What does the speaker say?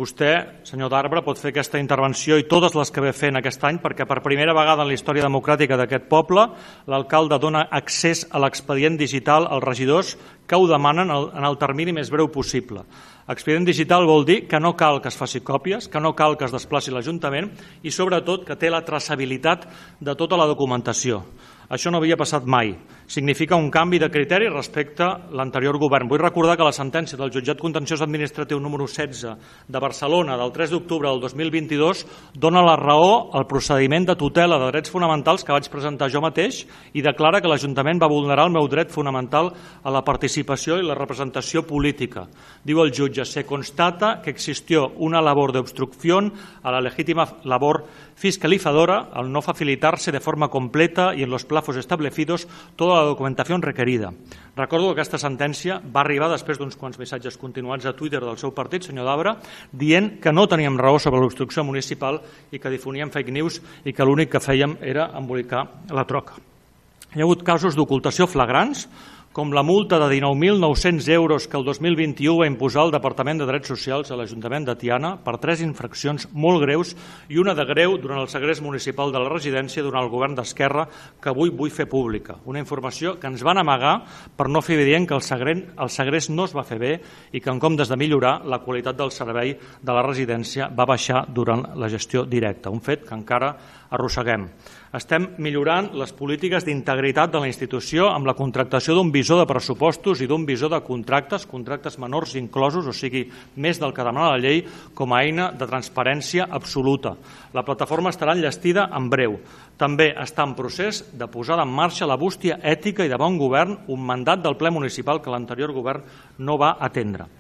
Vostè, senyor d'Arbre, pot fer aquesta intervenció i totes les que ve fent aquest any perquè per primera vegada en la història democràtica d'aquest poble l'alcalde dona accés a l'expedient digital als regidors que ho demanen en el termini més breu possible. Expedient digital vol dir que no cal que es faci còpies, que no cal que es desplaci l'Ajuntament i sobretot que té la traçabilitat de tota la documentació. Això no havia passat mai. Significa un canvi de criteri respecte a l'anterior govern. Vull recordar que la sentència del Jutjat Contenciós Administratiu número 16 de Barcelona del 3 d'octubre del 2022 dona la raó al procediment de tutela de drets fonamentals que vaig presentar jo mateix i declara que l'Ajuntament va vulnerar el meu dret fonamental a la participació i la representació política. Diu el jutge, se constata que existió una labor de obstrucción a la legítima labor fiscalizadora al no facilitarse de forma completa y en los plazos establecidos toda la documentación requerida. Recordo que aquesta sentència va arribar després d'uns quants missatges continuats a Twitter del seu partit, senyor d'Arbre, dient que no teníem raó sobre l'obstrucció municipal i que difoníem fake news i que l'únic que fèiem era embolicar la troca. Hi ha hagut casos d'ocultació flagrants, com la multa de 19.900 euros que el 2021 va imposar el Departament de Drets Socials a l'Ajuntament de Tiana per 3 infraccions molt greus i una de greu durant el segrest municipal de la residència durant el govern d'Esquerra que avui vull fer pública. Una informació que ens van amagar per no fer evident que el segrest no es va fer bé i que en comptes de millorar la qualitat del servei de la residència va baixar durant la gestió directa, un fet que encara arrosseguem. Estem millorant les polítiques d'integritat de la institució amb la contractació d'un visor de pressupostos i d'un visor de contractes menors inclosos, o sigui, més del que demana la llei, com a eina de transparència absoluta. La plataforma estarà enllestida en breu. També està en procés de posar en marxa la bústia ètica i de bon govern, un mandat del ple municipal que l'anterior govern no va atendre.